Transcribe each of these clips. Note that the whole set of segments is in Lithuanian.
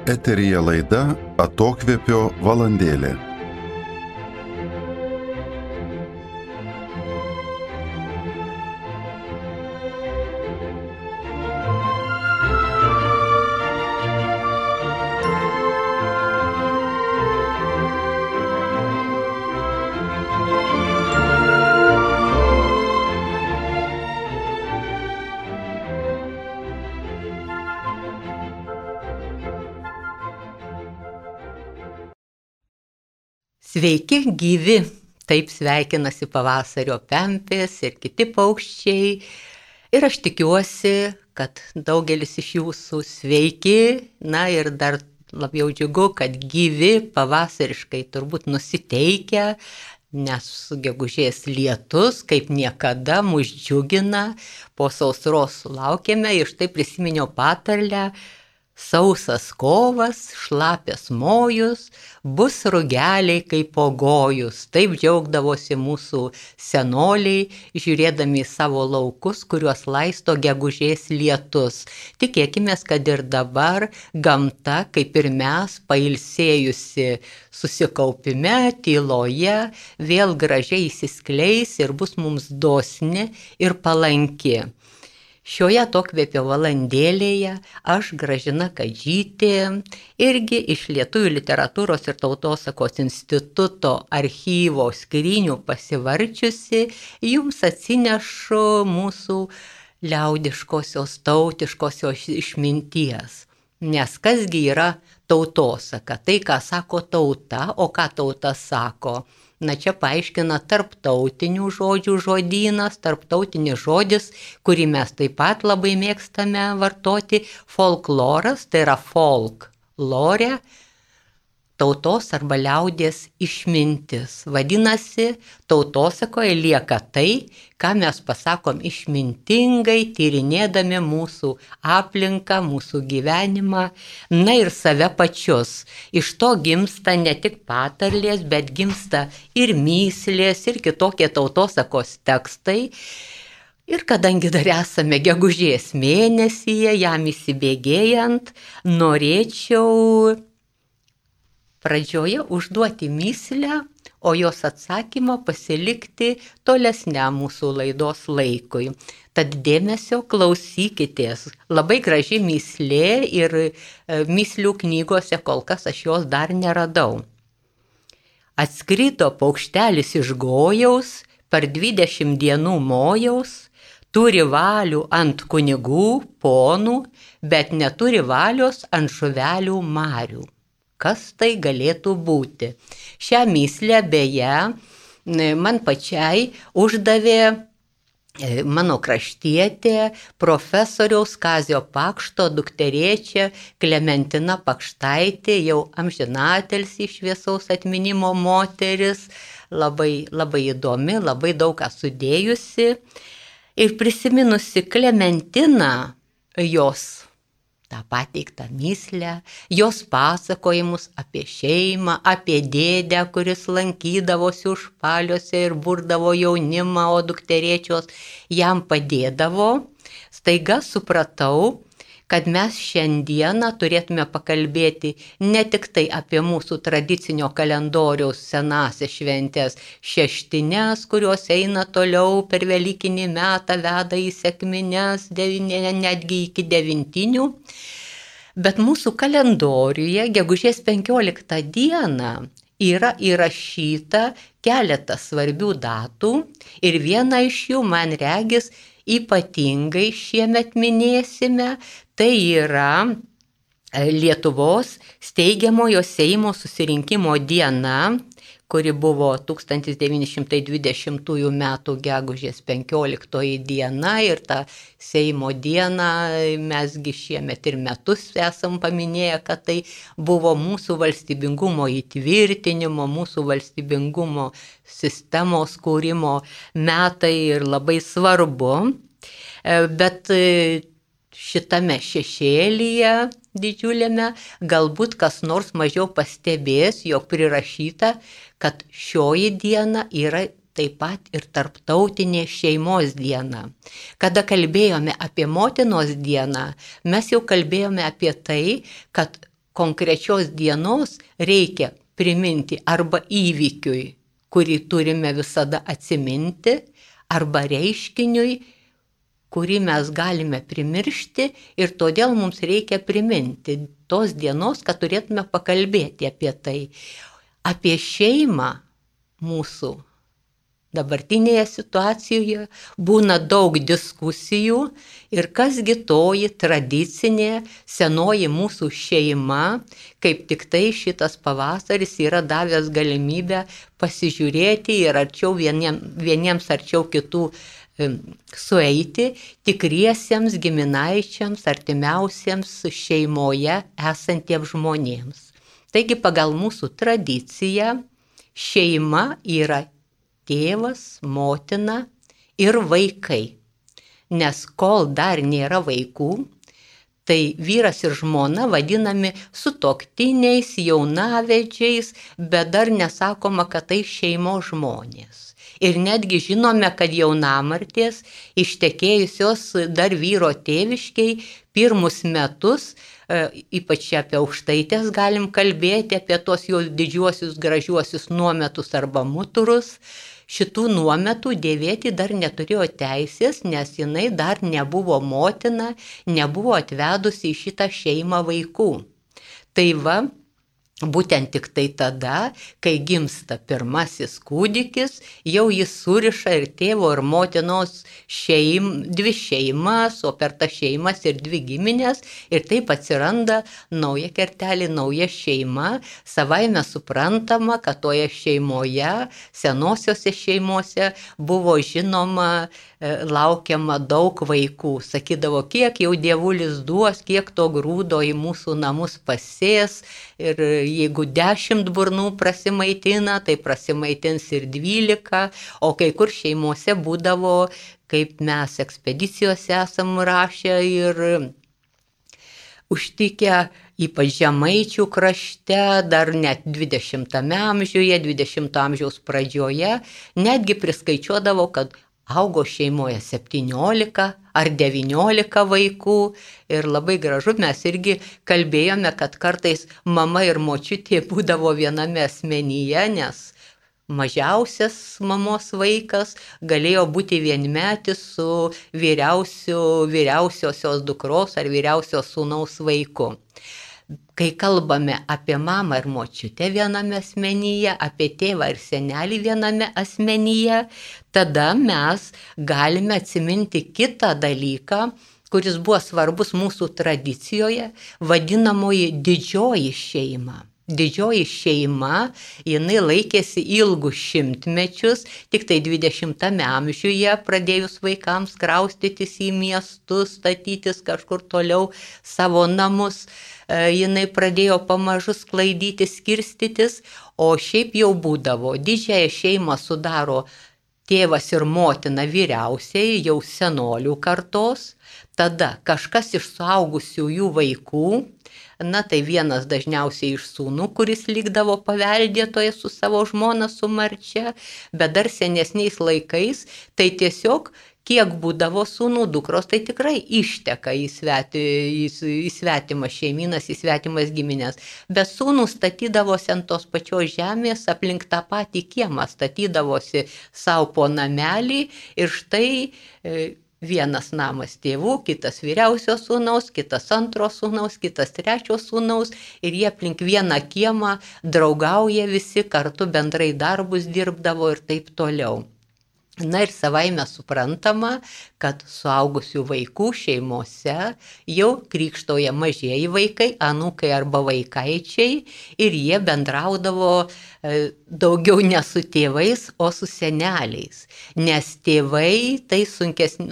Eteryje laida Atokvėpio valandėlė. Sveiki gyvi, taip sveikinasi pavasario pempės ir kiti paukščiai. Ir aš tikiuosi, kad daugelis iš jūsų sveiki, na ir dar labiau džiugu, kad gyvi pavasariškai turbūt nusiteikę, nes gegužės lietus kaip niekada mus džiugina, po sausros sulaukėme ir štai prisiminiau patarlę. Sausas kovas, šlapias mojus, bus rugeliai kaip pogojus. Taip džiaugdavosi mūsų senoliai, žiūrėdami į savo laukus, kuriuos laisto gegužės lietus. Tikėkimės, kad ir dabar gamta, kaip ir mes, pailsėjusi susikaupime, tyloje, vėl gražiai įsiskleis ir bus mums dosni ir palanki. Šioje Atokvėpio valandėlėje aš, Gražina Kadžytė, irgi iš Lietuvių literatūros ir tautosakos instituto archyvo skrynių pasivarčiusi, jums atsinešu mūsų liaudiškosios, tautiškosios išminties. Nes kasgi yra tautosaka? Tai, ką sako tauta, o ką tauta sako? Na čia paaiškina tarptautinių žodžių žodynas, tarptautinis žodis, kurį mes taip pat labai mėgstame vartoti, folkloras, tai yra folklore, tautos arba liaudies išmintis. Vadinasi, tautosakoje lieka tai, ką mes pasakom išmintingai, tyrinėdami mūsų aplinką, mūsų gyvenimą, na ir save pačius. Iš to gimsta ne tik patarlės, bet gimsta ir myslės, ir kitokie tautosakos tekstai. Ir kadangi dar esame gegužės mėnesyje, jam įsibėgėjant, norėčiau pradžioje užduoti myslę, o jos atsakymą pasilikti tolesniam mūsų laidos laikui. Tad dėmesio klausykitės. Labai graži myslė ir myslių knygose kol kas aš jos dar neradau. Atskrido paukštelis iš gojaus, per 20 dienų mojaus, turi valių ant kunigų, ponų, bet neturi valios ant žuvelių marių. Kas tai galėtų būti? Šią myslę beje man pačiai uždavė mano kraštietė, profesoriaus Kazio Pakšto dukterėčia Klementina Pakštaitė, jau amžinatilsį šviesaus atminimo moteris, labai įdomi, labai daug ką sudėjusi. Ir prisiminusi Klementiną, jos tą pateiktą myslę, jos pasakojimus apie šeimą, apie dėdę, kuris lankydavosi užpaliuose ir burdavo jaunimą, o dukterėčios jam padėdavo, staiga supratau, kad mes šiandieną turėtume pakalbėti ne tik tai apie mūsų tradicinio kalendoriaus senąsias šventės, šeštines, kurios eina toliau per velykinį metą, veda į sekmines, netgi iki devintinių, bet mūsų kalendoriuje gegužės 15 dieną yra įrašyta keletas svarbių datų ir viena iš jų, man regis, ypatingai šiemet minėsime, tai yra Lietuvos steigiamojo Seimo susirinkimo diena, kuri buvo 1920 m. gegužės 15 diena ir tą Seimo dieną mesgi šiemet ir metus esam paminėję, kad tai buvo mūsų valstybingumo įtvirtinimo, mūsų valstybingumo sistemos kūrimo metai ir labai svarbu, bet šitame šešėlyje didžiuliame galbūt kas nors mažiau pastebės, jog prirašyta, kad šioji diena yra taip pat ir tarptautinė šeimos diena. Kada kalbėjome apie motinos dieną, mes jau kalbėjome apie tai, kad konkrečios dienos reikia priminti arba įvykiui, kurį turime visada atsiminti, arba reiškiniui, kurį mes galime primiršti ir todėl mums reikia priminti tos dienos, kad turėtume pakalbėti apie tai. Apie šeimą mūsų dabartinėje situacijoje būna daug diskusijų ir kasgi toji tradicinė senoji mūsų šeima, kaip tik tai šitas pavasaris yra davęs galimybę pasižiūrėti ir arčiau vieniems arčiau kitų sueiti tikriesiems giminaičiams, artimiausiems šeimoje esantiems žmonėms. Taigi pagal mūsų tradiciją šeima yra tėvas, motina ir vaikai. Nes kol dar nėra vaikų, tai vyras ir žmona vadinami sutuoktiniais, jaunavedžiais, bet dar nesakoma, kad tai šeimos žmonės. Ir netgi žinome, kad jaunamartės ištekėjusios dar vyro tėviškiai pirmus metus, ypač apie aukštaitės galim kalbėti, apie tos jau didžiuosius gražiuosius nuometus arba muturus, šitų nuometų dėvėti dar neturėjo teisės, nes jinai dar nebuvo motina, nebuvo atvedusi į šitą šeimą vaikų. Tai va, būtent tik tai tada, kai gimsta pirmasis kūdikis, jau jis suriša ir tėvo ir motinos dvi šeimas, o per tas šeimas ir dvi giminės, ir taip atsiranda nauja kertelė, nauja šeima. Savaime suprantama, kad toje šeimoje, senosiose šeimose buvo žinoma, laukiama daug vaikų. Sakydavo, kiek jau dievulis duos, kiek to grūdo į mūsų namus pasės, ir jeigu 10 burnų prasimaitina, tai prasimaitins ir 12, o kai kur šeimose būdavo, kaip mes ekspedicijose esam rašę ir užtikę, ypač Žemaičių krašte, dar net 20 amžiuje, 20 amžiaus pradžioje, netgi priskaičiuodavo, kad augo šeimoje 17 ar 19 vaikų ir labai gražu, mes irgi kalbėjome, kad kartais mama ir močiutė būdavo viename asmenyje, nes mažiausias mamos vaikas galėjo būti vienmetis su vyriausiosios dukros ar vyriausios sūnaus vaiku. Kai kalbame apie mamą ir močiutę viename asmenyje, apie tėvą ir senelį viename asmenyje, tada mes galime atsiminti kitą dalyką, kuris buvo svarbus mūsų tradicijoje, vadinamoji didžioji šeima. Didžioji šeima, jinai laikėsi ilgus šimtmečius, tik tai 20 amžiuje pradėjus vaikams kraustytis į miestus, statytis kažkur toliau savo namus, jinai pradėjo pamažu sklaidyti, skirstytis, o šiaip jau būdavo. Didžiąją šeimą sudaro tėvas ir motina vyriausiai, jau senolių kartos, tada kažkas iš suaugusiųjų vaikų, na tai vienas dažniausiai iš sūnų, kuris likdavo paveldėtoje su savo žmona, su marčia, bet dar senesniais laikais, tai tiesiog kiek būdavo sūnų, dukros, tai tikrai išteka į svetimas šeiminas, į svetimas giminės. Bet sūnų statydavosi ant tos pačios žemės, aplink tą patį kiemą statydavosi savo po namelį ir štai vienas namas tėvų, kitas vyriausio sūnaus, kitas antro sūnaus, kitas trečio sūnaus ir jie aplink vieną kiemą draugauja visi, kartu bendrai darbus dirbdavo ir taip toliau. Na ir savaime suprantama, kad suaugusių vaikų šeimose jau krikštauja mažieji vaikai, anūkai arba vaikaičiai ir jie bendraudavo daugiau ne su tėvais, o su seneliais, nes tėvai tai sunkesni.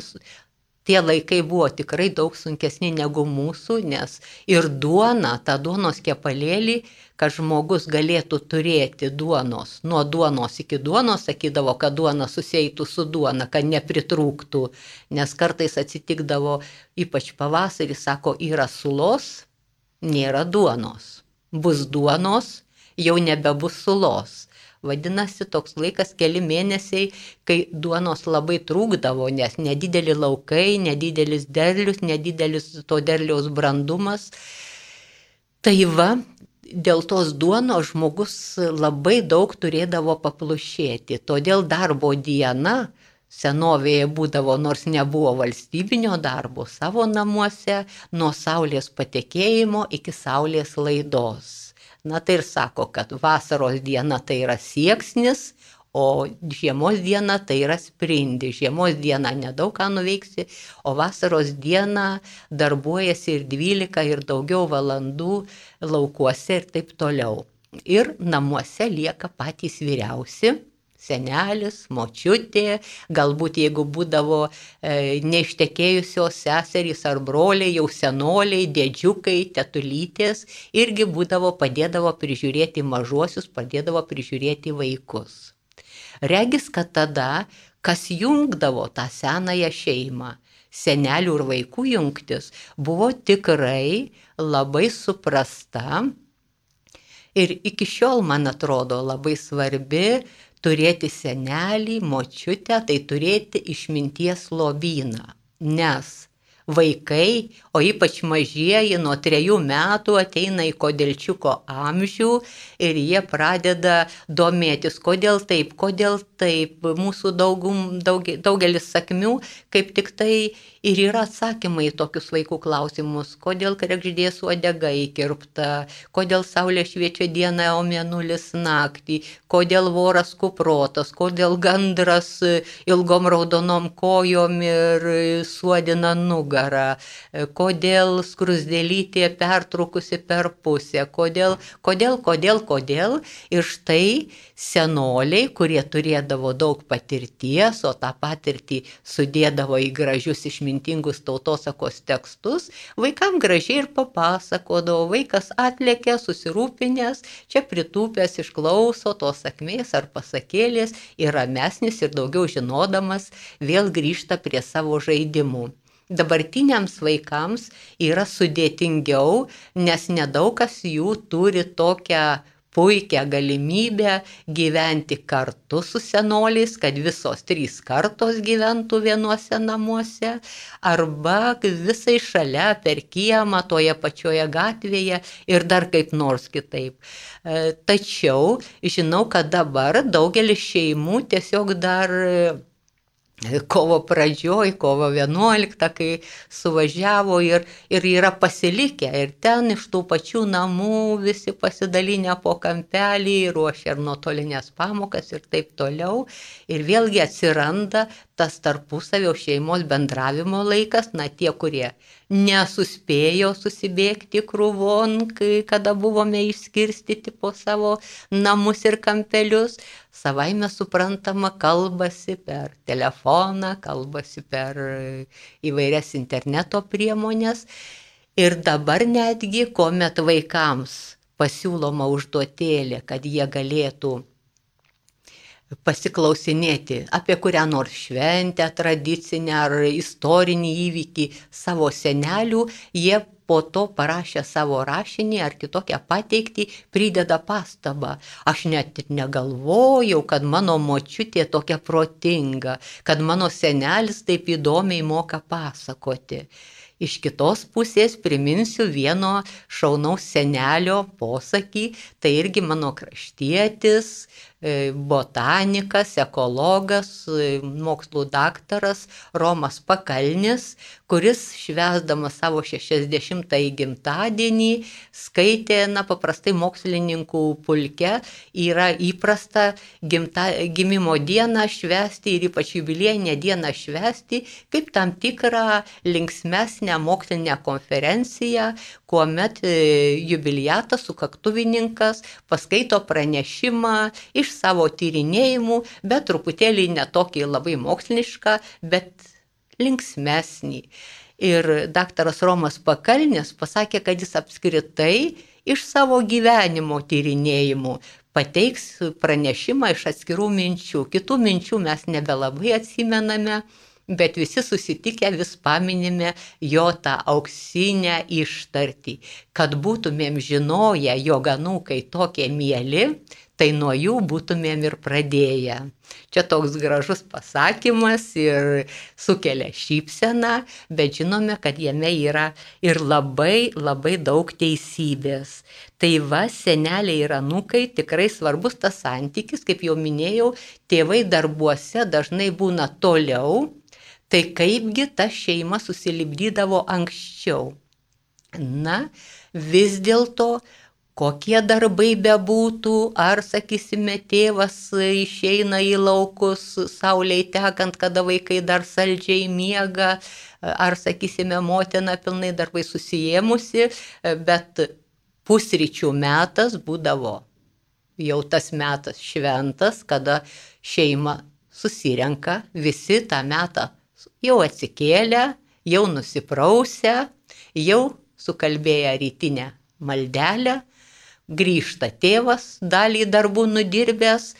Tie laikai buvo tikrai daug sunkesni negu mūsų, nes ir duona, ta duonos kepalėlį, kad žmogus galėtų turėti duonos, nuo duonos iki duonos, sakydavo, kad duona susieitų su duona, kad nepritrūktų, nes kartais atsitikdavo, ypač pavasarį, sako, yra sulos, nėra duonos, bus duonos, jau nebebus sulos. Vadinasi, toks laikas keli mėnesiai, kai duonos labai trūkdavo, nes nedideli laukai, nedidelis derlius, nedidelis to derliaus brandumas. Tai va, dėl tos duonos žmogus labai daug turėdavo paplušėti, todėl darbo diena senovėje būdavo, nors nebuvo valstybinio darbo, savo namuose nuo saulės patekėjimo iki saulės laidos. Na tai ir sako, kad vasaros diena tai yra sieksnis, o žiemos diena tai yra sprindis. Žiemos diena nedaug ką nuveiksi, o vasaros diena darbuojasi ir 12 ir daugiau valandų laukuose ir taip toliau. Ir namuose lieka patys vyriausi. Senelis, močiutė, galbūt jeigu būdavo neištekėjusios seserys ar broliai, jau senoliai, dėdžiukai, tetulytės, irgi padėdavo prižiūrėti mažuosius, padėdavo prižiūrėti vaikus. Regis, kad tada, kas jungdavo tą senąją šeimą, senelių ir vaikų jungtis, buvo tikrai labai suprasta ir iki šiol, man atrodo, labai svarbi turėti senelį, močiutę, tai turėti išminties lobyną, nes vaikai, o ypač mažieji nuo 3 metų ateina į kodelčiuko amžių ir jie pradeda domėtis, kodėl taip. Mūsų daugelis sakmių kaip tik tai ir yra atsakymai į tokius vaikų klausimus, kodėl kregždės uodega įkirpta, kodėl saulė šviečia dieną, o mėnulis naktį, kodėl voras kuprotas, kodėl gandras ilgom raudonom kojom ir suodina nugarą, kodėl skrusdėlytė pertrukusi per pusę, kodėl. Ir štai senoliai, kurie turėdavo daug patirties, o tą patirtį sudėdavo į gražius išmintingus tautosakos tekstus, vaikam gražiai ir papasakodavo, vaikas atlėkė susirūpinęs, čia pritūpęs išklauso tos sakmės ar pasakėlės ir ramesnis ir daugiau žinodamas vėl grįžta prie savo žaidimų. Dabartiniams vaikams yra sudėtingiau, nes nedaug kas jų turi tokią puikią galimybę gyventi kartu su senoliais, kad visos 3 kartos gyventų vienuose namuose, arba visai šalia per kiemą toje pačioje gatvėje ir dar kaip nors kitaip. Tačiau žinau, kad dabar daugelis šeimų tiesiog dar kovo pradžioj, kovo 11, kai suvažiavo ir yra pasilikę. Ir ten iš tų pačių namų visi pasidalinę po kampelį, ruošia ir nuotolinės pamokas ir taip toliau. Ir vėlgi atsiranda tas tarpusavio šeimos bendravimo laikas, na tie, kurie nesuspėjo susibėgti krūvon, kada buvome išskirstyti po savo namus ir kampelius, savaime suprantama kalbasi per telefoną, kalbasi per įvairias interneto priemonės. Ir dabar netgi, kuomet vaikams pasiūloma užduotėlė, kad jie galėtų pasiklausinėti apie kurią nors šventę, tradicinę ar istorinį įvykį savo senelių, jie po to parašę savo rašinį ar kitokią pateikti prideda pastabą. Aš net negalvojau, kad mano močiutė tokia protinga, kad mano senelis taip įdomiai moka pasakoti. Iš kitos pusės priminsiu vieno šaunaus senelio posakį, tai irgi mano kraštietis, botanikas, ekologas, mokslų daktaras Romas Pakalnis, kuris švęsdamas savo 60-ąjį gimtadienį skaitė, paprastai mokslininkų pulke yra įprasta gimimo dieną švęsti ir ypač jubiliejinę dieną švęsti kaip tam tikrą linksmesnę mokslinę konferenciją, kuomet jubiliatas, sukaktuvininkas paskaito pranešimą iš savo tyrinėjimų, bet truputėlį netokį labai mokslišką, bet linksmesnį. Ir daktaras Romas Pakalnis pasakė, kad jis apskritai iš savo gyvenimo tyrinėjimų pateiks pranešimą iš atskirų minčių. Kitų minčių mes nebelabai atsimename, bet visi susitikę vis paminime jo tą auksinę ištartį, kad būtumėm žinoję, jog anūkai tokie mieli, tai nuo jų būtumėm ir pradėję. Čia toks gražus pasakymas ir sukelia šypseną, bet žinome, kad jame yra ir labai, labai daug teisybės. Tai va, seneliai ir anūkai tikrai svarbus tas santykis, kaip jau minėjau, tėvai darbuose dažnai būna toliau, tai kaipgi ta šeima susilipdydavo anksčiau. Na, vis dėlto, kokie darbai bebūtų, ar, sakysime, tėvas išeina į laukus saulei tekant, kada vaikai dar saldžiai miega, ar, sakysime, motina pilnai darbai susijėmusi, bet pusryčių metas būdavo jau tas metas šventas, kada šeima susirenka, visi tą metą jau atsikėlę, jau nusiprausę, jau sukalbėję rytinę maldelę, grįžta tėvas, dalį darbų nudirbęs,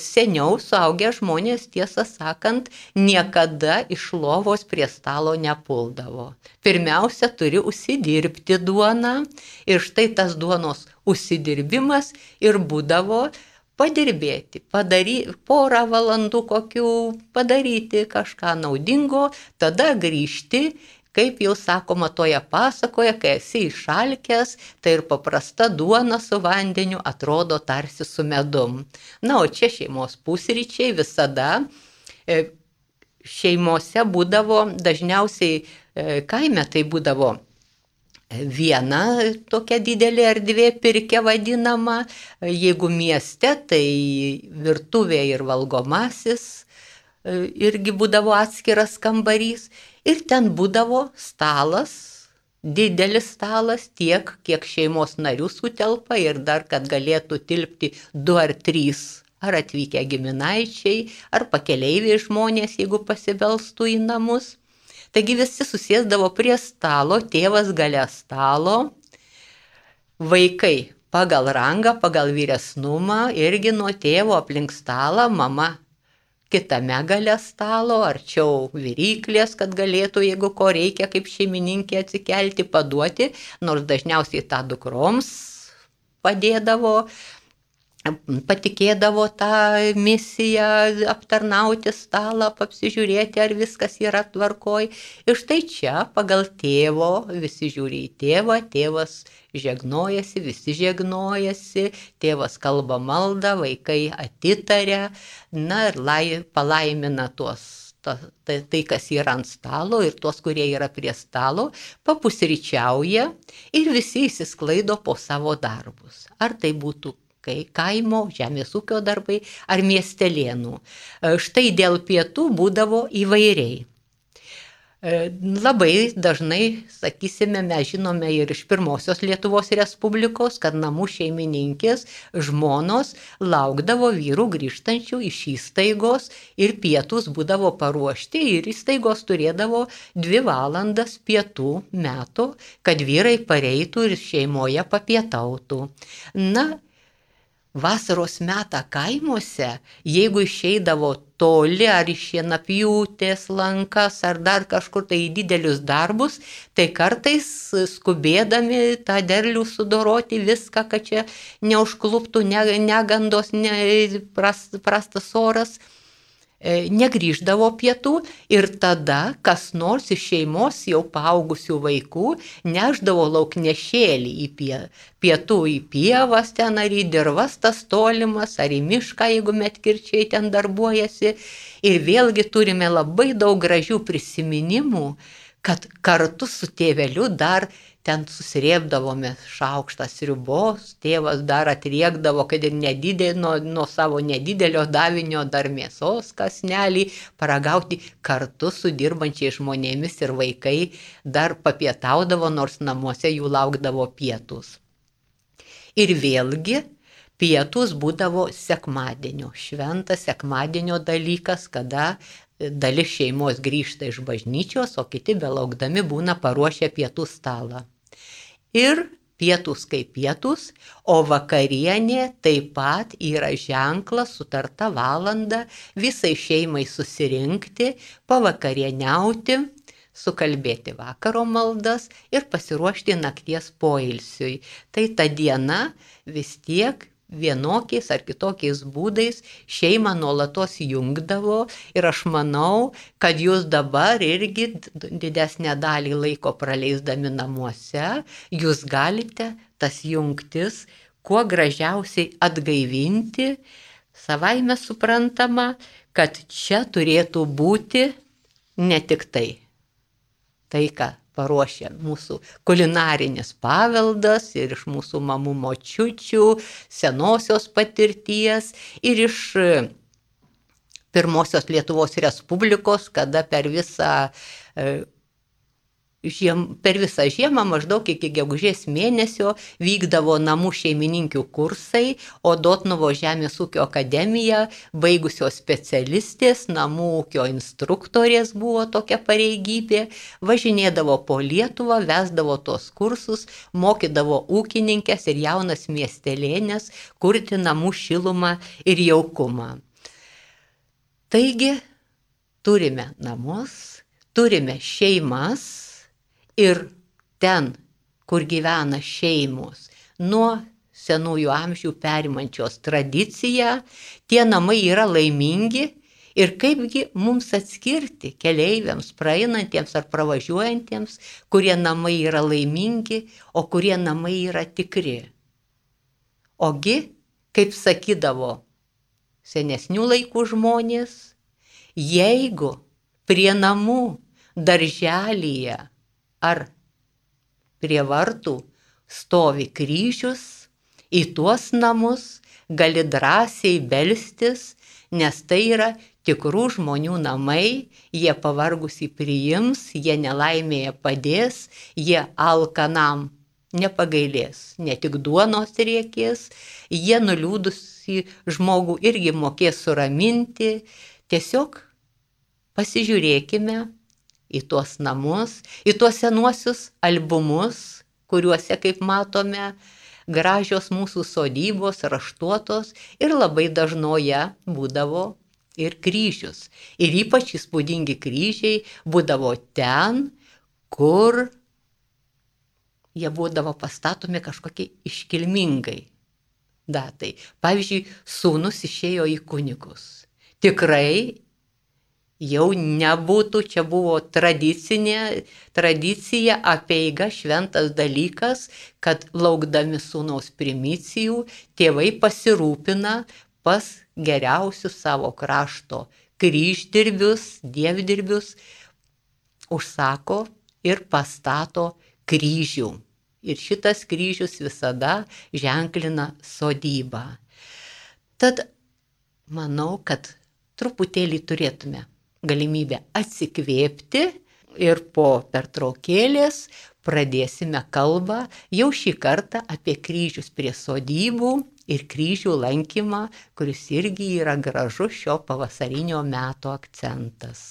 seniau suaugę žmonės, tiesą sakant, niekada iš lovos prie stalo nepuldavo. Pirmiausia, turi užsidirbti duoną ir štai tas duonos užsidirbimas ir būdavo padirbėti, porą valandų kokių, padaryti kažką naudingo, tada grįžti. Kaip jau sakoma toje pasakoje, kai esi išalkęs, tai ir paprasta duona su vandeniu atrodo tarsi su medum. Na, o čia šeimos pusryčiai visada šeimose būdavo, dažniausiai kaime tai būdavo viena tokia didelė erdvė pirkia vadinama, jeigu mieste, tai virtuvė ir valgomasis irgi būdavo atskiras kambarys ir ten būdavo stalas, didelis stalas, tiek, kiek šeimos narių sutelpa ir dar, kad galėtų tilpti 2 ar 3 ar atvykę giminaičiai, ar pakeleiviai žmonės, jeigu pasibelstų į namus. Taigi visi susėsdavo prie stalo, tėvas gale stalo, vaikai pagal rangą, pagal vyresnumą, irgi nuo tėvo aplink stalą, mama kitame gale stalo, arčiau viryklės, kad galėtų, jeigu ko reikia, kaip šeimininkė atsikelti, paduoti, nors dažniausiai tą dukroms padėdavo, patikėdavo tą misiją aptarnauti stalą, apsižiūrėti, ar viskas yra tvarkoj. Ir štai čia pagal tėvo, visi žiūri į tėvą, tėvas žegnojasi, visi žegnojasi, tėvas kalba maldą, vaikai atitaria, na ir palaimina tai, kas yra ant stalo ir tuos, kurie yra prie stalo, papusryčiauja ir visi įsisklaido po savo darbus. Ar tai būtų kaimo, žemės ūkio darbai ar miestelėnų. Štai dėl pietų būdavo įvairiai. Labai dažnai, sakysime, mes žinome ir iš pirmosios Lietuvos Respublikos, kad namų šeimininkės žmonos laukdavo vyrų grįžtančių iš įstaigos ir pietus būdavo paruošti ir įstaigos turėdavo 2 valandas pietų metų, kad vyrai pareitų ir šeimoje papietautų. Na, vasaros metą kaimuose, jeigu išeidavo toli ar iš šienapjūtės lankas ar dar kažkur tai į didelius darbus, tai kartais skubėdami tą derlių sudoroti viską, kad čia neužkluptų negandos, prastas oras, negrįždavo pietų ir tada kas nors iš šeimos jau paaugusių vaikų neždavo lauknešėlį į pietų į pievas ten ar į dirvas tas tolimas ar į mišką, jeigu medkirčiai ten darbuojasi. Ir vėlgi turime labai daug gražių prisiminimų, kad kartu su tėveliu dar ten susirėbdavome šaukštą sriubos, tėvas dar atriekdavo, kad ir nuo savo nedidelio davinio dar mėsos kąsnelį paragauti, kartu su dirbančiais žmonėmis ir vaikai dar papietaudavo, nors namuose jų laukdavo pietus. Ir vėlgi pietus būdavo sekmadienio, šventas sekmadienio dalykas, kada dalis šeimos grįžta iš bažnyčios, o kiti belaukdami būna paruošę pietų stalą. Ir pietus kaip pietus, o vakarienė taip pat yra ženklas, sutarta valanda visai šeimai susirinkti, pavakarieniauti, sukalbėti vakaro maldas ir pasiruošti nakties poilsiui. Tai ta diena vis tiek vienokiais ar kitokiais būdais šeimą nuolatos jungdavo ir aš manau, kad jūs dabar irgi didesnę dalį laiko praleisdami namuose, jūs galite tas jungtis kuo gražiausiai atgaivinti, savaime suprantama, kad čia turėtų būti ne tik tai, ką paruošia mūsų kulinarinis paveldas ir iš mūsų mamų močiučių, senosios patirties ir iš pirmosios Lietuvos Respublikos, kada per visą žiemą maždaug iki gegužės mėnesio vykdavo namų šeimininkių kursai, o Dotnuvo žemės ūkio akademija, baigusios specialistės, namų ūkio instruktorės buvo tokia pareigybė, važinėdavo po Lietuvą, vesdavo tos kursus, mokydavo ūkininkės ir jaunas miestelėnės kurti namų šilumą ir jaukumą. Taigi, turime namus, turime šeimas, ir ten, kur gyvena šeimos, nuo senųjų amžių perimančios tradiciją, tie namai yra laimingi ir kaipgi mums atskirti keleiviams, praeinantiems ar pravažiuojantiems, kurie namai yra laimingi, o kurie namai yra tikri. Ogi, kaip sakydavo senesnių laikų žmonės, jeigu prie namų darželyje ar prie vartų stovi kryžius, į tuos namus gali drąsiai belstis, nes tai yra tikrų žmonių namai, jie pavargusį priims, jie nelaimėje padės, jie alkanam nepagailės, ne tik duonos reikės, jie nuliūdusį žmogų irgi mokės suraminti. Tiesiog pasižiūrėkime į tuos namus, į tuos senuosius albumus, kuriuose, kaip matome, gražios mūsų sodybos, raštuotos ir labai dažnoje būdavo ir kryžius. Ir ypač įspūdingi kryžiai būdavo ten, kur jie būdavo pastatomi kažkokie iškilmingai datai. Pavyzdžiui, sūnus išėjo į kunigus. Tikrai jau nebūtų, čia buvo tradicija, apeiga, šventas dalykas, kad laukdami sūnaus primicijų, tėvai pasirūpina pas geriausius savo krašto kryždirbius, dievdirbius, užsako ir pastato kryžių. Ir šitas kryžius visada ženklina sodybą. Tad manau, kad truputėlį turėtume galimybę atsikvėpti ir po pertraukėlės pradėsime kalbą jau šį kartą apie kryžius prie sodybų ir kryžių lankymą, kuris irgi yra gražus šio pavasarinio meto akcentas.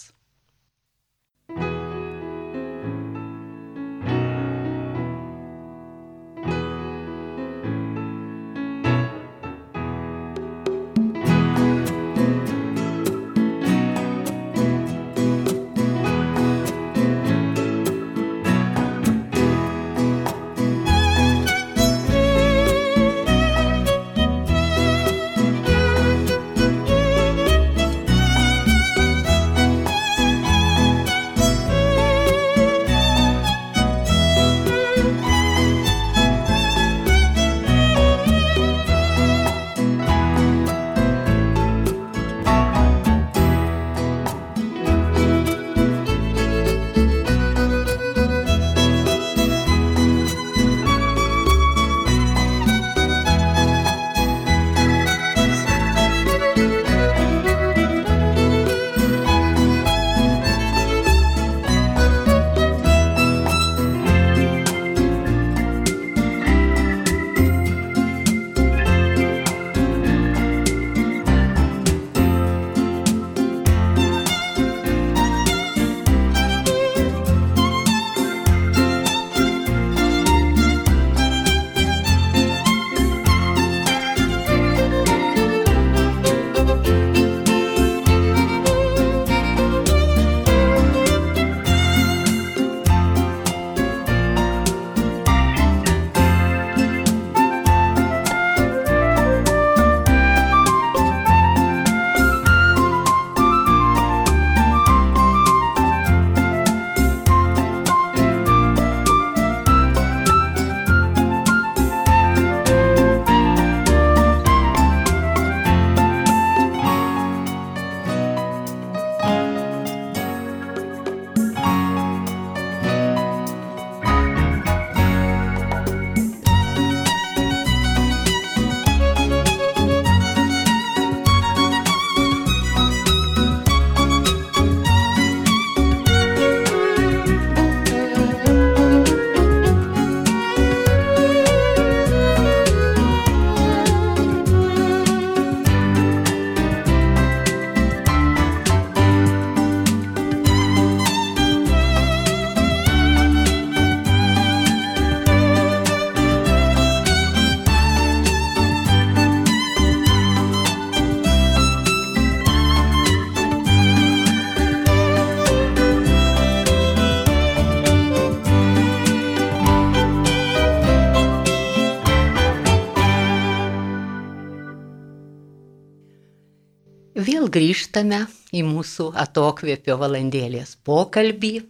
Vėl grįžtame į mūsų atokvėpio valandėlės pokalbį.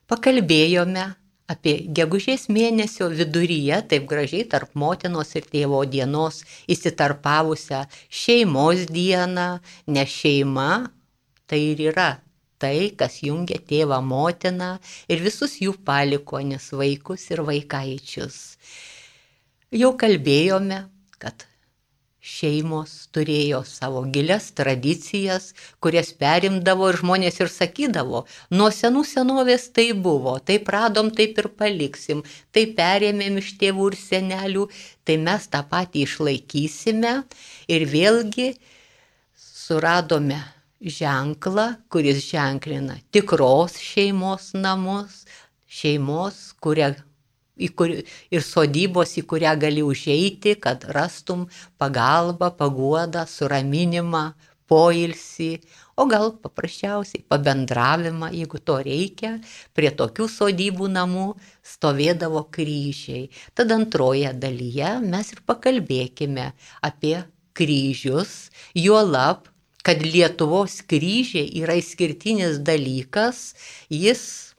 Pakalbėjome apie gegužės mėnesio viduryje, taip gražiai tarp motinos ir tėvo dienos įsitarpavusią šeimos dieną, nes šeima tai ir yra tai, kas jungia tėvą, motiną ir visus jų palikuonis, vaikus ir vaikaičius. Jau kalbėjome, kad šeimos turėjo savo gilias tradicijas, kurias perimdavo ir žmonės ir sakydavo, nuo senų senovės tai buvo, taip radom, taip ir paliksim, tai perėmėm iš tėvų ir senelių, tai mes tą patį išlaikysime ir vėlgi suradome ženklą, kuris ženklina tikros šeimos namus, šeimos, ir sodybos, į kurią gali užeiti, kad rastum pagalbą, paguodą, suraminimą, poilsį, o gal paprasčiausiai pabendravimą, jeigu to reikia. Prie tokių sodybų namų stovėdavo kryžiai. Tad antroje dalyje mes ir pakalbėkime apie kryžius, juolab, kad Lietuvos kryžiai yra išskirtinis dalykas, jis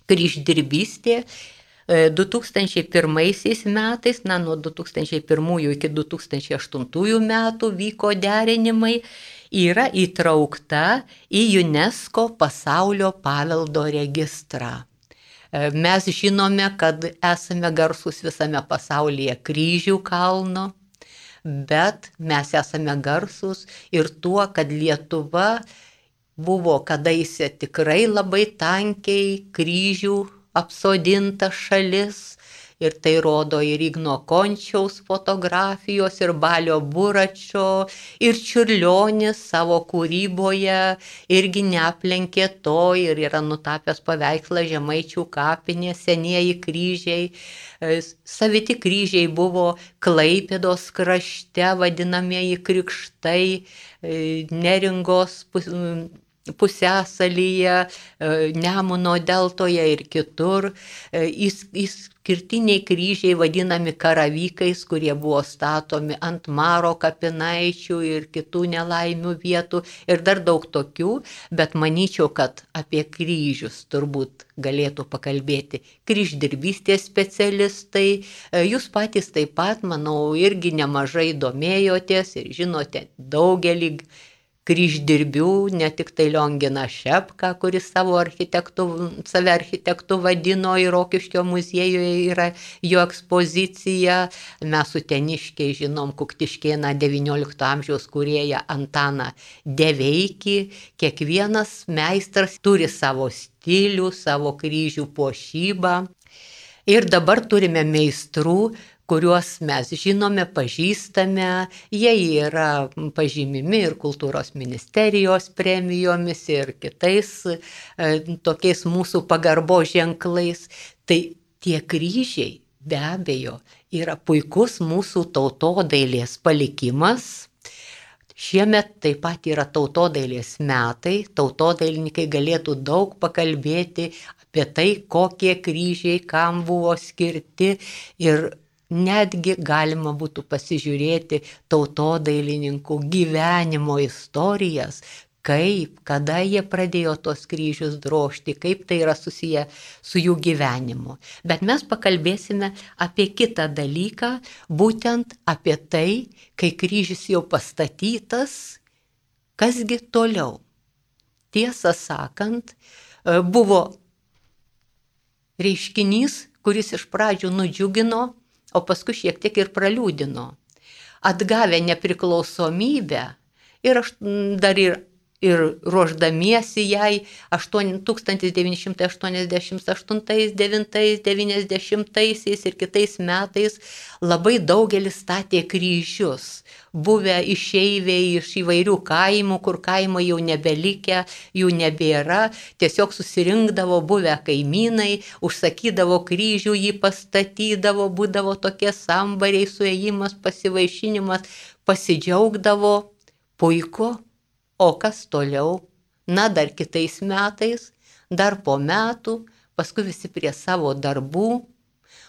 kryždirbystė 2001 metais, nuo 2001 iki 2008 metų vyko derinimai, yra įtraukta į UNESCO pasaulio paveldo registrą. Mes žinome, kad esame garsūs visame pasaulyje kryžių kalno, bet mes esame garsūs ir tuo, kad Lietuva buvo kadaise tikrai labai tankiai kryžių apsodinta šalis ir tai rodo ir Igno Končiaus fotografijos, ir Balio Buračo, ir Čiurlionis savo kūryboje irgi neaplenkė to ir yra nutapęs paveikslą Žemaičių kapinės, senieji kryžiai. Saviti kryžiai buvo Klaipėdos krašte, vadinamieji krikštai, Neringos pusiasalyje, Nemuno deltoje ir kitur. Išskirtiniai kryžiai vadinami karavykais, kurie buvo statomi ant Maro kapinaičių ir kitų nelaimių vietų ir dar daug tokių, bet manyčiau, kad apie kryžius turbūt galėtų pakalbėti kryždirbystės specialistai. Jūs patys taip pat, manau, irgi nemažai domėjotės ir žinote daugelį kryždirbių, ne tik tai Lionginą Šepką, kuris save architektu vadino, ir Rokiškio muziejuje yra jo ekspozicija. Mes uteniškiai žinom Kuktiškėną XIX amžiaus kūrėją Antaną Deveikį. Kiekvienas meistras turi savo stilių, savo kryžių puošybą. Ir dabar turime meistrų, kuriuos mes žinome, pažįstame, jie yra pažymimi ir Kultūros ministerijos premijomis ir kitais tokiais mūsų pagarbos ženklais. Tai tie kryžiai be abejo yra puikus mūsų tautodailės palikimas. Šiemet taip pat yra tautodailės metai, tautodailininkai galėtų daug pakalbėti apie tai, kokie kryžiai kam buvo skirti ir netgi galima būtų pasižiūrėti tautodailininkų gyvenimo istorijas, kaip, kada jie pradėjo tos kryžius drožti, kaip tai yra susiję su jų gyvenimu. Bet mes pakalbėsime apie kitą dalyką, būtent apie tai, kai kryžius jau pastatytas, kasgi toliau. Tiesą sakant, buvo reiškinys, kuris iš pradžių nudžiugino, o paskui šiek tiek ir praliūdino. Atgavę nepriklausomybę ir dar ir ruoždamiesi jai 1988, 9, 90 ir kitais metais labai daugelis statė kryžius. Buvę išeiviai iš įvairių kaimų, kur kaimai jau nebelikę, jų nebėra, tiesiog susirinkdavo buvę kaimynai, užsakydavo kryžių, jį pastatydavo, būdavo tokie sambariai, suėjimas, pasivaišinimas, pasidžiaugdavo, puiku. O kas toliau? Na, dar kitais metais, dar po metų, paskui visi prie savo darbų,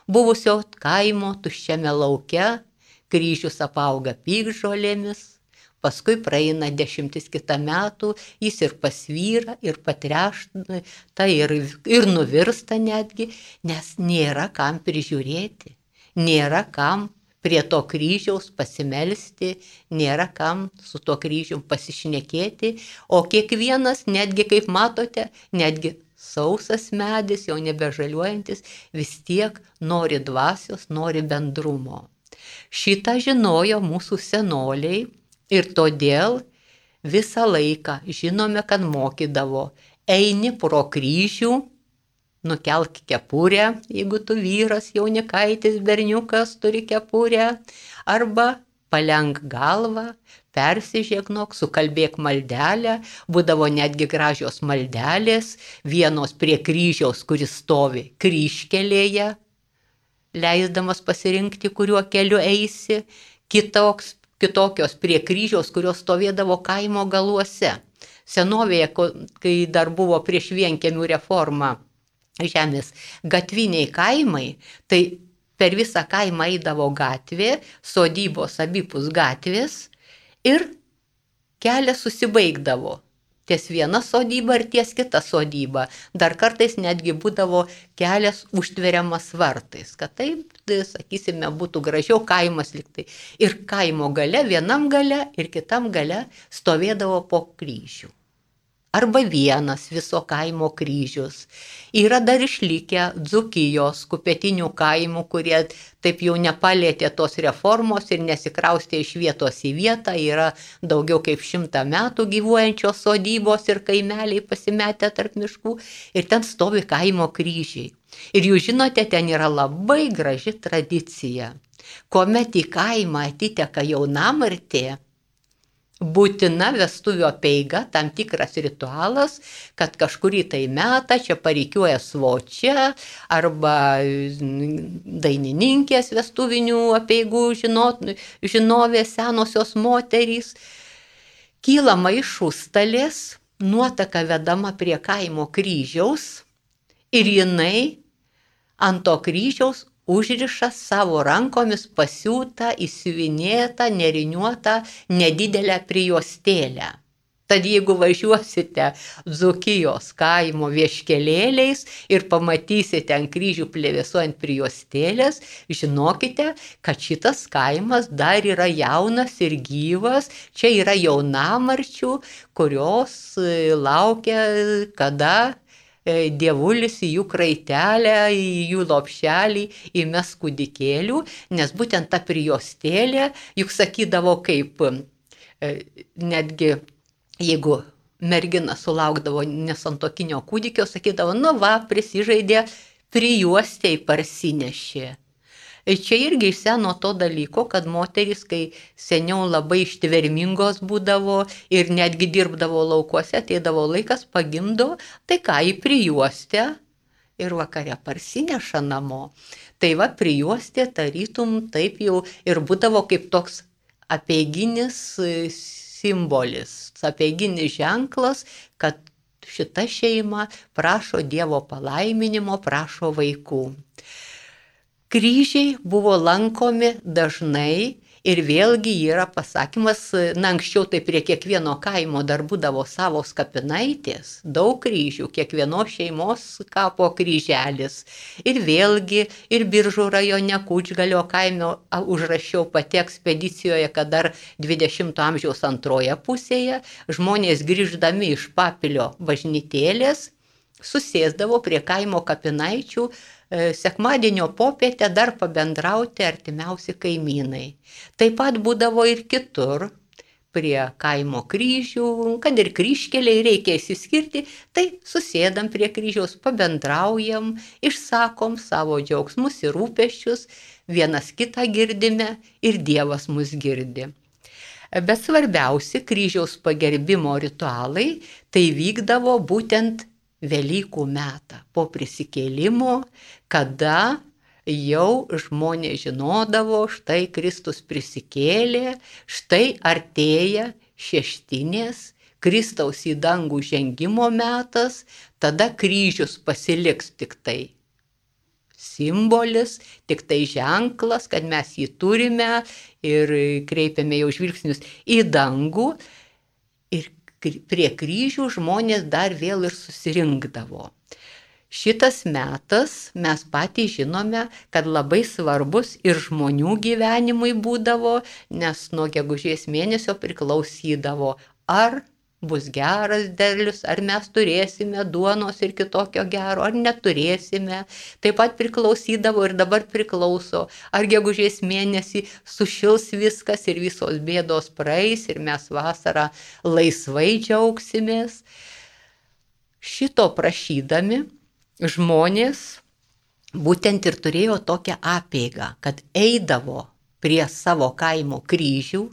buvusio kaimo tuščiame lauke, kryžius apauga piktžolėmis, paskui praeina 10 kitą metų, jis ir pasvyra, ir patrešta, ir nuvirsta netgi, nes nėra kam prižiūrėti, nėra kam prie to kryžiaus pasimelsti, nėra kam su to kryžium pasišnekėti, o kiekvienas, netgi kaip matote, netgi sausas medis, jau nebežaliuojantis, vis tiek nori dvasios, nori bendrumo. Šitą žinojo mūsų senoliai ir todėl visą laiką žinome, kad mokydavo, eini pro kryžių, nukelk kepurę, jeigu tu vyras, jaunikaitis, berniukas turi kepurę, arba palenk galvą, persižegnok, sukalbėk maldelę, būdavo netgi gražios maldelės, vienos prie kryžiaus, kuris stovi kryžkelėje, leisdamas pasirinkti, kuriuo keliu eisi, kitokios prie kryžiaus, kurios stovėdavo kaimo galuose. Senovėje, kai dar buvo prieš vienkiemių reformą, žemės gatviniai kaimai, tai per visą kaimą eidavo gatvė, sodybos abipus gatvės ir kelias susibaigdavo. Ties viena sodyba ir ties kita sodyba. Dar kartais netgi būdavo kelias užtveriamas vartais, kad taip, sakysime, būtų gražiau kaimas liktai. Ir kaimo gale, vienam gale ir kitam gale stovėdavo po kryžių. Arba vienas viso kaimo kryžius. Yra dar išlikę Dzūkijos kupetinių kaimų, kurie taip jau nepalėtė tos reformos ir nesikraustė iš vietos į vietą. Yra daugiau kaip 100 metų gyvuojančios sodybos ir kaimeliai pasimetę tarp miškų ir ten stovi kaimo kryžiai. Ir jūs žinote, ten yra labai graži tradicija. Kuomet į kaimą atiteka jaunamartė, būtina vestuvių apeiga, tam tikras ritualas, kad kažkurį tai metą čia parikiuoja svočia arba dainininkės vestuvinių apeigų žinovės senosios moterys. Kylama iš užstalės, nuotaka vedama prie kaimo kryžiaus ir jinai ant to kryžiaus užriša savo rankomis pasiūtą, įsiuvinėtą, neriniuotą, nedidelę prijuostėlę. Tad jeigu važiuosite Dzūkijos kaimo vieškelėliais ir pamatysite ant kryžių plevėsuojant prijuostėlės, žinokite, kad šitas kaimas dar yra jaunas ir gyvas, čia yra jaunamarčių, kurios laukia, kada dievulis į jų kraitelę, į jų lopšelį įmes kūdikėlių, nes būtent ta prijuostėlė, juk sakydavo kaip, netgi jeigu mergina sulaukdavo nesantuokinio kūdikio, sakydavo, nu va, prisižaidė, prijuostei parsinešė. Čia irgi iš seno to dalyko, kad moterys, kai seniau labai ištvermingos būdavo ir netgi dirbdavo laukuose, ateidavo laikas, pagimdo, tai ką į prijuostę ir vakare parsineša namo. Tai va, prijuostė tarytum taip jau ir būdavo kaip toks apeiginis simbolis, apeiginis ženklas, kad šita šeima prašo Dievo palaiminimo, prašo vaikų. Kryžiai buvo lankomi dažnai ir vėlgi yra pasakymas, anksčiau tai prie kiekvieno kaimo dar būdavo savos kapinaitės, daug kryžių, kiekvienos šeimos kapo kryželis. Ir vėlgi ir Biržų rajone Kučgalio kaime užrašiau pati ekspedicijoje, kad dar 20 amžiaus antroje pusėje žmonės grįždami iš Papilio bažnytėlės susėsdavo prie kaimo kapinaičių sekmadienio popietę dar pabendrauti artimiausi kaimynai. Taip pat būdavo ir kitur, prie kaimo kryžių, kad ir kryžkeliai reikia įsiskirti, tai susėdam prie kryžiaus, pabendraujam, išsakom savo džiaugsmus ir rūpesčius, vienas kitą girdime ir Dievas mus girdi. Bet svarbiausi kryžiaus pagerbimo ritualai tai vykdavo būtent Velykų metą po prisikėlimo, kada jau žmonės žinodavo, štai Kristus prisikėlė, štai artėja šeštinės, Kristaus į dangų žengimo metas, tada kryžius pasiliks tik tai simbolis, tik tai ženklas, kad mes jį turime ir kreipiame jau žvilgsnius į dangų. Ir prie kryžių žmonės dar vėl ir susirinkdavo. Šitas metas mes patys žinome, kad labai svarbus ir žmonių gyvenimui būdavo, nes nuo gegužės mėnesio priklausydavo, ar bus geras derlius, ar mes turėsime duonos ir kitokio gero, ar neturėsime. Taip pat priklausydavo ir dabar priklauso, ar gegužės mėnesį sušils viskas ir visos bėdos praeis ir mes vasarą laisvai džiaugsimės. Šito prašydami žmonės būtent ir turėjo tokią apeigą, kad eidavo prie savo kaimo kryžių,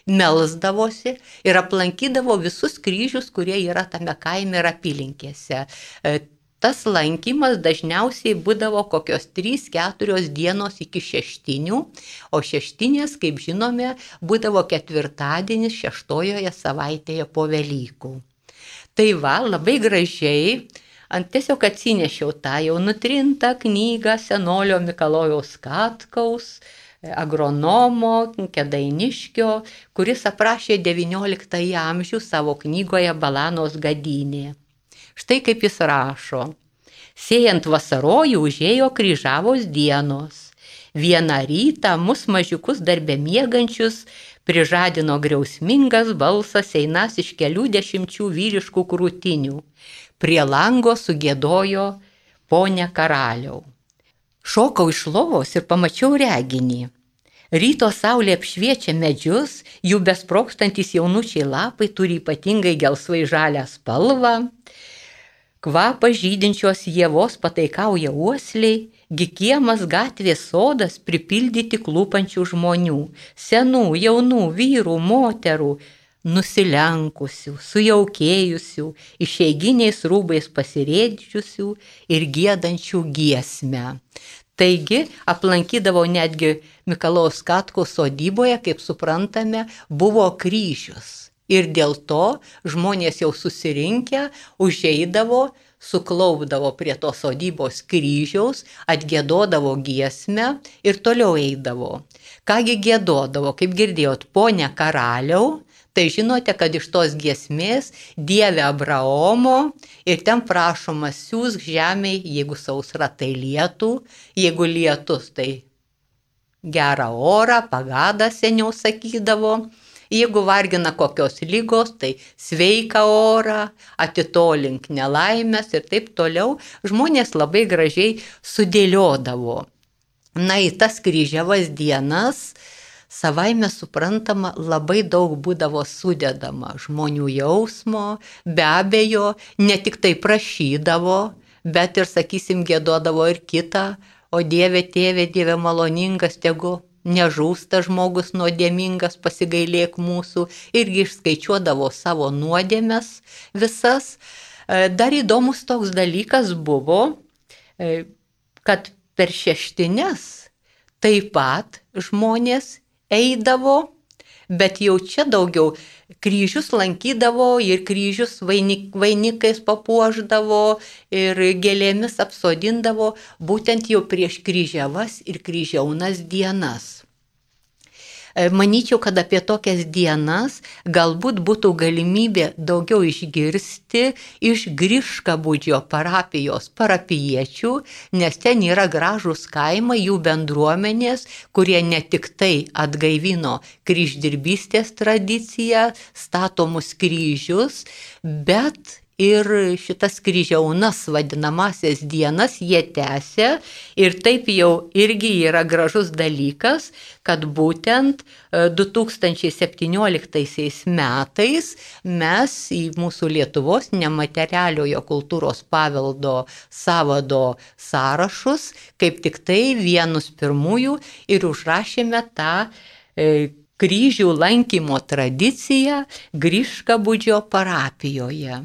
melsdavosi ir aplankydavo visus kryžius, kurie yra tame kaime ir apylinkėse. Tas lankymas dažniausiai būdavo kokios 3-4 dienos iki šeštinių, o šeštinės, kaip žinome, būdavo ketvirtadienis 6 savaitėje po Velykų. Tai va, labai gražiai, tiesiog atsinešiau tą jau nutrintą knygą senolio Mikalojaus Katkaus, agronomo Kėdainiškio, kuris aprašė XIX amžių savo knygoje Balanos gadynė. Štai kaip jis rašo. Sėjant vasarojų užėjo kryžavos dienos. Vieną rytą mus mažiukus darbe miegančius prižadino griausmingas balsas einas iš kelių 10 vyriškų krūtinių. Prie lango sugiedojo Pone karaliau. Šokau iš lovos ir pamačiau reginį. Ryto saulė apšviečia medžius, jų besprokstantis jaunučiai lapai turi ypatingai gelsvai žalią spalvą. Kvapą žydinčios ievos pataikauja uosliai, gi kiemas gatvės sodas pripildyti klūpančių žmonių, senų, jaunų, vyrų, moterų, nusilenkusių, sujaukėjusių, išeiginiais rūbais pasirėdžiusių ir giedančių giesmę. Taigi aplankydavo netgi Mikalojaus Katkaus sodyboje, kaip suprantame, buvo kryžius. Ir dėl to žmonės jau susirinkę užeidavo, suklaupdavo prie tos sodybos kryžiaus, atgiedodavo giesmę ir toliau eidavo. Kągi giedodavo, kaip girdėjot, Pone karaliau, tai žinote, kad iš tos giesmės Dieve Abraomo ir ten prašoma siųsk žemei, jeigu sausra, tai lietų, jeigu lietus, tai gerą orą, pagadą seniau sakydavo, jeigu vargina kokios lygos, tai sveiką orą, atitolink nelaimės ir taip toliau. Žmonės labai gražiai sudėliodavo. Na, į tas kryžiavas dienas savaime suprantama labai daug būdavo sudedama žmonių jausmo, be abejo, ne tik tai prašydavo, bet ir, sakysim, giedodavo ir kitą, o Dieve tėve, Dieve maloningas, tegu nežūsta žmogus nuodėmingas, pasigailėk mūsų, irgi išskaičiuodavo savo nuodėmes visas. Dar įdomus toks dalykas buvo, kad per šeštines taip pat žmonės eidavo, bet jau čia daugiau kryžius lankydavo ir kryžius vainikais papuošdavo ir gėlėmis apsodindavo būtent jau prieš kryžiavas ir kryžiaunas dienas. Manyčiau, kad apie tokias dienas galbūt būtų galimybė daugiau išgirsti iš Griškabūdžio parapijos parapiečių, nes ten yra gražūs kaimai, jų bendruomenės, kurie ne tik tai atgaivino kryždirbystės tradiciją, statomus kryžius, bet ir šitas kryžiaunas vadinamasias dienas jie tęsia ir taip jau irgi yra gražus dalykas, kad būtent 2017 metais mes į mūsų Lietuvos nematerialiojo kultūros paveldo sąvado sąrašus kaip tik tai vienus pirmųjų ir užrašėme tą kryžių lankymo tradiciją Griškabūdžio parapijoje.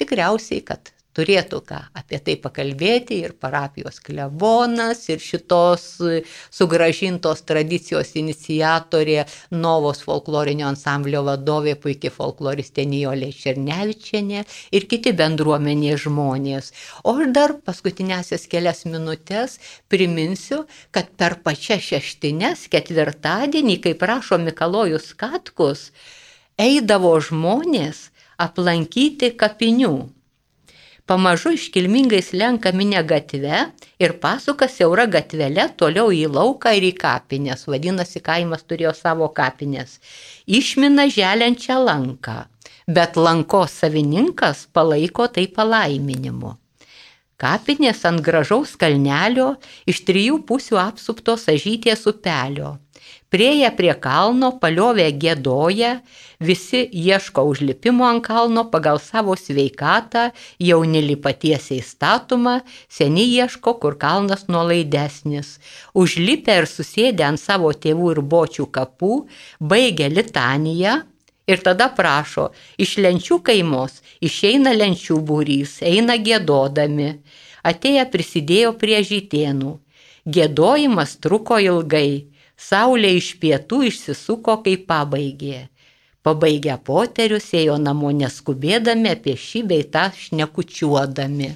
Tikriausiai, kad turėtų ką apie tai pakalbėti ir parapijos klebonas, ir šitos sugrąžintos tradicijos iniciatorė, Novos folklorinio ansamblio vadovė, puikiai folkloristė Nijolė Černevičienė ir kiti bendruomenės žmonės. O aš dar paskutinėsias kelias minutės priminsiu, kad per pačias šeštines ketvirtadienį, kaip rašo Mikalojus Katkus, eidavo žmonės aplankyti kapinių. Pamažu iškilmingai slenka minia gatve ir pasuka siaura gatvelė toliau į lauką ir į kapines. Vadinasi, kaimas turėjo savo kapines. Išmina želiančią lanką, bet lankos savininkas palaiko tai palaiminimu. Kapinės ant gražaus kalnelio iš 3 pusių apsuptos Ažytės upelio. Prieėję prie kalno, paliovę giedoja, visi ieško užlipimo ant kalno pagal savo sveikatą, jauni lipa tiesiai statuma, seni ieško, kur kalnas nuolaidesnis. Užlipę ir susėdę ant savo tėvų ir bočių kapų, baigia litaniją ir tada prašo, iš lenčių kaimos išeina lenčių būrys, eina giedodami. Atėję prisidėjo prie žytėnų. Giedojimas truko ilgai. Saulė iš pietų išsisuko, kai pabaigė. Pabaigę poterius ėjo namo neskubėdami, apie šį bei tą šnekučiuodami.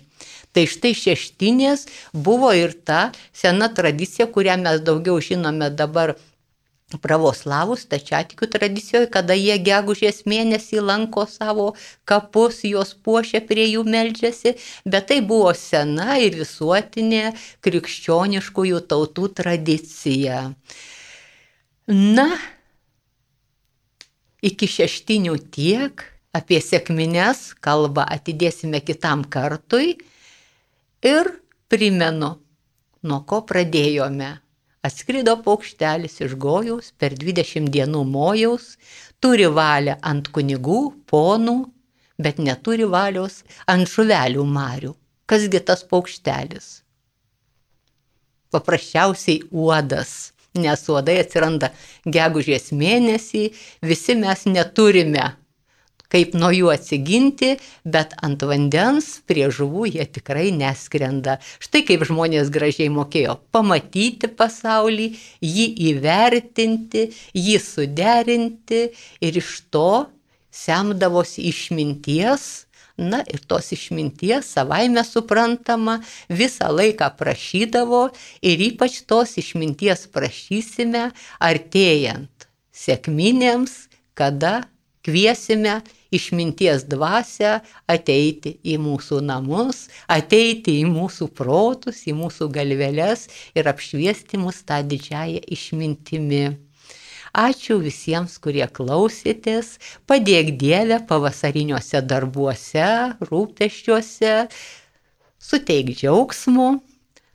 Tai štai šeštinės buvo ir ta sena tradicija, kurią mes daugiau žinome dabar pravoslavų stačiatikių tradicijoje, kada jie gegužės mėnesį lanko savo kapus, juos puošia, prie jų meldžiasi, bet tai buvo sena ir visuotinė krikščioniškųjų tautų tradicija. Na, iki šeštinių tiek, apie sekmines kalbą atidėsime kitam kartui ir primenu, nuo ko pradėjome. Atskrido paukštelis iš Gojaus, per 20 dienų mojaus, turi valią ant kunigų, ponų, bet neturi valios ant žuvelių marių. Kasgi tas paukštelis? Paprasčiausiai uodas. Nes uodai atsiranda gegužės mėnesį, visi mes neturime kaip nuo jų atsiginti, bet ant vandens prie žuvų jie tikrai neskrenda. Štai kaip žmonės gražiai mokėjo pamatyti pasaulį, jį įvertinti, jį suderinti ir iš to semdavosi išminties. Na ir tos išminties savaime suprantama visą laiką prašydavo ir ypač tos išminties prašysime artėjant sekminėms, kada kviesime išminties dvasią ateiti į mūsų namus, ateiti į mūsų protus, į mūsų galveles ir apšviesti mus tą didžiąją išmintimi. Ačiū visiems, kurie klausėtės, padėk Dieve pavasariniuose darbuose, rūpesčiuose, suteik džiaugsmo.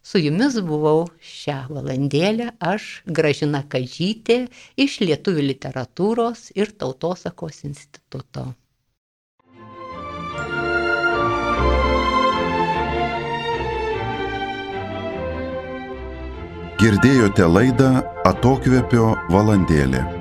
Su jumis buvau šią valandėlę aš, Gražina Kadžytė, iš Lietuvių literatūros ir tautosakos instituto. Girdėjote laidą Atokvėpio valandėlė.